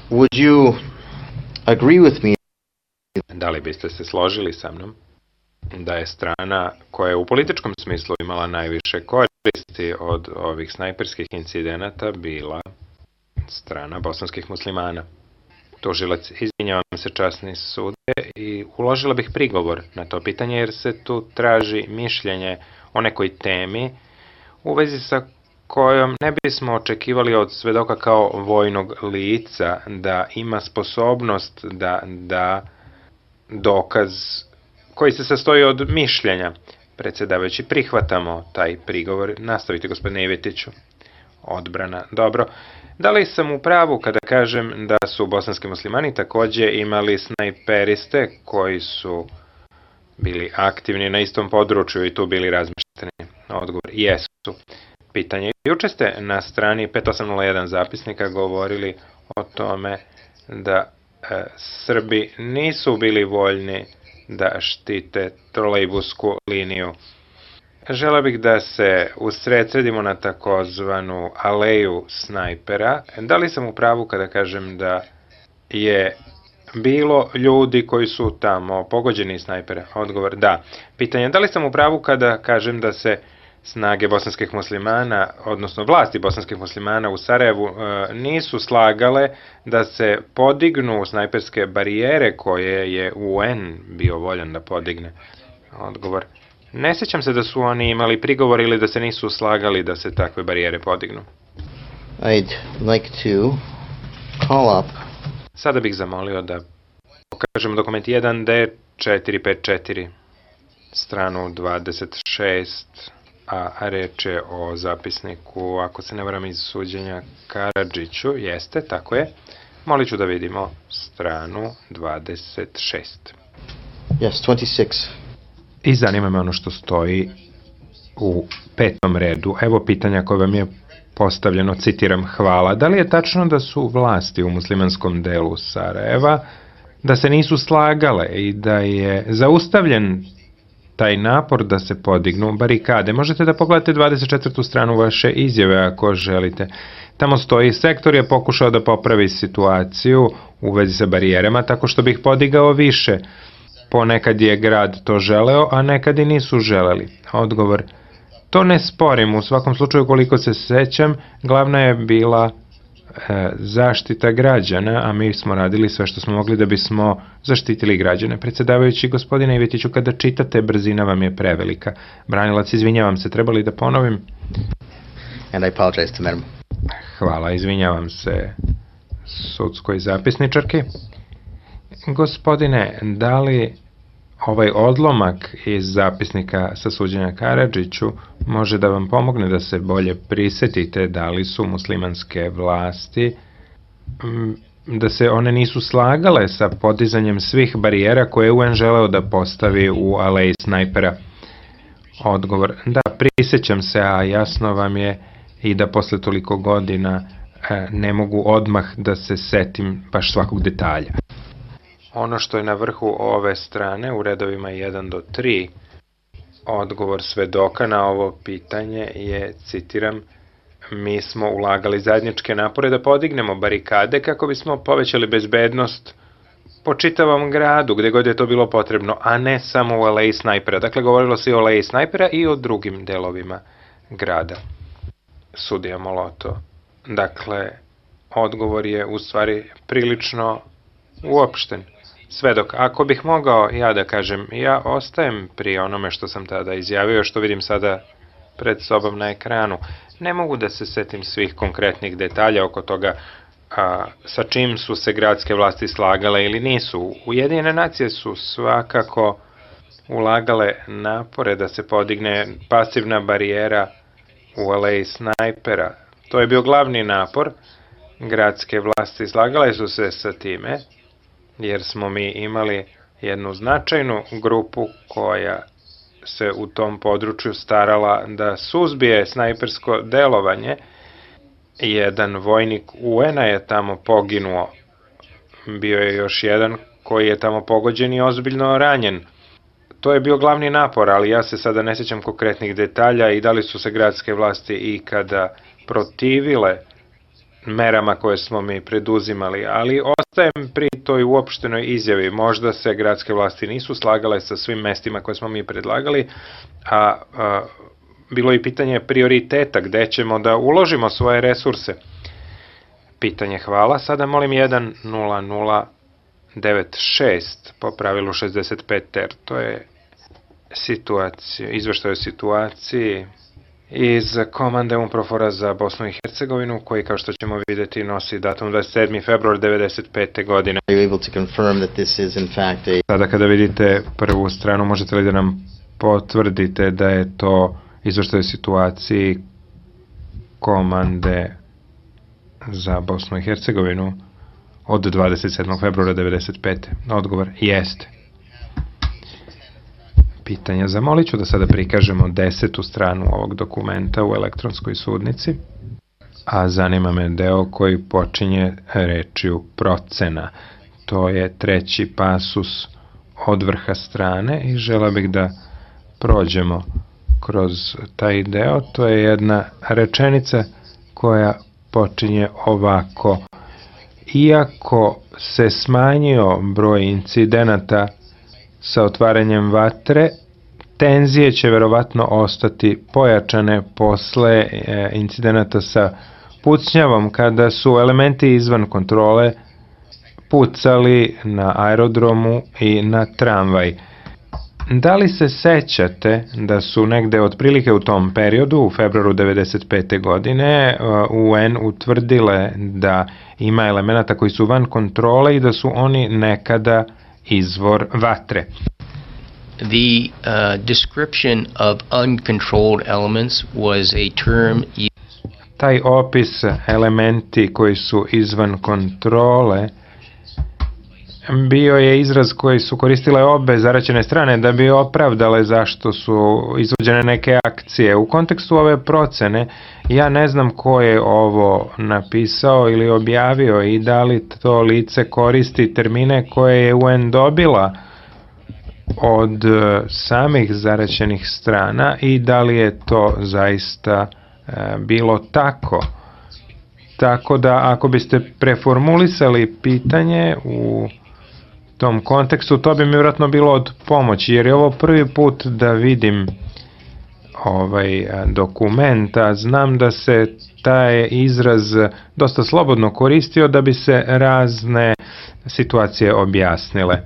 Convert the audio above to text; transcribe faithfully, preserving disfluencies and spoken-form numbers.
Would you agree with me? Da li biste se složili sa mnom da je strana koja je u političkom smislu imala najviše koristi od ovih snajperskih incidenata bila strana bosanskih muslimana? Tužilac, izvinjavam se časni sude, i uložila bih prigovor na to pitanje jer se tu traži mišljenje o nekoj temi u vezi sa kojom ne bismo očekivali od svedoka kao vojnog lica da ima sposobnost da da dokaz koji se sastoji od mišljenja. Predsjedavajući, prihvatamo taj prigovor. Nastavite, gospodine Ivetiću. Odbrana. Dobro. Da li sam u pravu kada kažem da su bosanski muslimani takođe imali snajperiste koji su bili aktivni na istom području i tu bili razmešteni? Odgovor, jesu. Pitanje. Juče ste na strani pet osam nula jedan zapisnika govorili o tome da e, Srbi nisu bili voljni da štite trolejbusku liniju. Želeo bih da se usredsredimo na takozvanu aleju snajpera. Da li sam u pravu kada kažem da je bilo ljudi koji su tamo pogođeni snajpera? Odgovor, da. Pitanje, da li sam u pravu kada kažem da se snage bosanskih muslimana, odnosno vlasti bosanskih muslimana u Sarajevu nisu slagale da se podignu snajperske barijere koje je U N bio voljan da podigne? Odgovor, ne sjećam se da su oni imali prigovor ili da se nisu slagali da se takve barijere podignu. I'd like to call up. Sada bih zamolio da pokažemo dokument jedan D četiri pet četiri, stranu dvadeset šest, a reč je o zapisniku, ako se ne varam, iz suđenja Karadžiću. Jeste, tako je. Molit ću da vidimo stranu dvadeset šest. Yes, twenty-six. I zanima me ono što stoji u petom redu. Evo pitanja koje vam je postavljeno, citiram, hvala. Da li je tačno da su vlasti u muslimanskom delu Sarajeva da se nisu slagale i da je zaustavljen taj napor da se podignu barikade? Možete da pogledate dvadeset četvrtu stranu vaše izjave ako želite. Tamo stoji, sektor je pokušao da popravi situaciju u vezi sa barijerama tako što bih podigao više. Ponekad je grad to želeo, a nekad i nisu želeli. Odgovor, to ne sporim, u svakom slučaju koliko se sećam, glavna je bila e, zaštita građana, a mi smo radili sve što smo mogli da bismo zaštitili građane. Predsjedavajući, gospodine Ivetiću, kada čitate, brzina vam je prevelika. Branilac, izvinjavam se, trebali da ponovim? And I apologize to madam. Hvala, izvinjavam se sudskoj zapisničarki. Gospodine, da li ovaj odlomak iz zapisnika sa suđenja Karadžiću može da vam pomogne da se bolje prisetite da li su muslimanske vlasti, da se one nisu slagale sa podizanjem svih barijera koje je U N želeo da postavi u aleji snajpera? Odgovor, da, prisećam se, a jasno vam je i da posle toliko godina ne mogu odmah da se setim baš svakog detalja. Ono što je na vrhu ove strane, u redovima jedan do tri, odgovor svedoka na ovo pitanje je, citiram, mi smo ulagali zajedničke napore da podignemo barikade kako bismo povećali bezbednost po čitavom gradu, gde god je to bilo potrebno, a ne samo u aleji snajpera. Dakle, govorilo se i o aleji snajpera i o drugim delovima grada. Sudija Moloto. Dakle, odgovor je u stvari prilično uopšten. Svedok, ako bih mogao ja da kažem, ja ostajem pri onome što sam tada izjavio, što vidim sada pred sobom na ekranu. Ne mogu da se setim svih konkretnih detalja oko toga a, sa čim su se gradske vlasti slagale ili nisu. Ujedinjene nacije su svakako ulagale napore da se podigne pasivna barijera u aleji snajpera. To je bio glavni napor. Gradske vlasti slagale su se sa time, jer smo mi imali jednu značajnu grupu koja se u tom području starala da suzbije snajpersko delovanje. Jedan vojnik U N-a je tamo poginuo. Bio je još jedan koji je tamo pogođen i ozbiljno ranjen. To je bio glavni napor, ali ja se sada ne sjećam konkretnih detalja i da li su se gradske vlasti ikada protivile merama koje smo mi preduzimali, ali ostajem pri toj uopštenoj izjavi. Možda se gradske vlasti nisu slagale sa svim mestima koje smo mi predlagali, a, a bilo je pitanje prioriteta, gde ćemo da uložimo svoje resurse. Pitanje hvala. Sada molim jedan nula nula devet šest po pravilu šezdeset pet ter. To je situacija, izveštaj o situaciji iz komande UNPROFOR-a za Bosnu i Hercegovinu, koji, kao što ćemo vidjeti, nosi datum dvadeset sedmi februar devedeset pete. godine. Are you able to confirm that this is in fact a... Sada kada vidite prvu stranu, možete li da nam potvrdite da je to izveštaj o situaciji komande za Bosnu i Hercegovinu od dvadeset sedmog februara devedeset pete. Odgovor jeste. Pitanja. Zamolit ću da sada prikažemo desetu stranu ovog dokumenta u elektronskoj sudnici, a zanima me deo koji počinje rečju procena. To je treći pasus od vrha strane i žela bih da prođemo kroz taj deo. To je jedna rečenica koja počinje ovako. Iako se smanjio broj incidenata sa otvaranjem vatre, tenzije će verovatno ostati pojačane posle incidenata sa pucnjavom, kada su elementi izvan kontrole pucali na aerodromu i na tramvaj. Da li se sećate da su negde otprilike u tom periodu, u februaru devedeset pete. godine, U N utvrdile da ima elemenata koji su van kontrole i da su oni nekada izvor vatre? The uh, description of uncontrolled elements was a term used. Taj opis elementi koji su izvan kontrole bio je izraz koji su koristile obe zaraćene strane da bi opravdale zašto su izvođene neke akcije. U kontekstu ove procene ja ne znam ko je ovo napisao ili objavio i da li to lice koristi termine koje je U N dobila od samih zaraćenih strana i da li je to zaista e, bilo tako. Tako da ako biste preformulisali pitanje u tom kontekstu, to bi mi vjerojatno bilo od pomoći, jer je ovo prvi put da vidim ovaj dokument, a znam da se taj izraz dosta slobodno koristio da bi se razne situacije objasnile.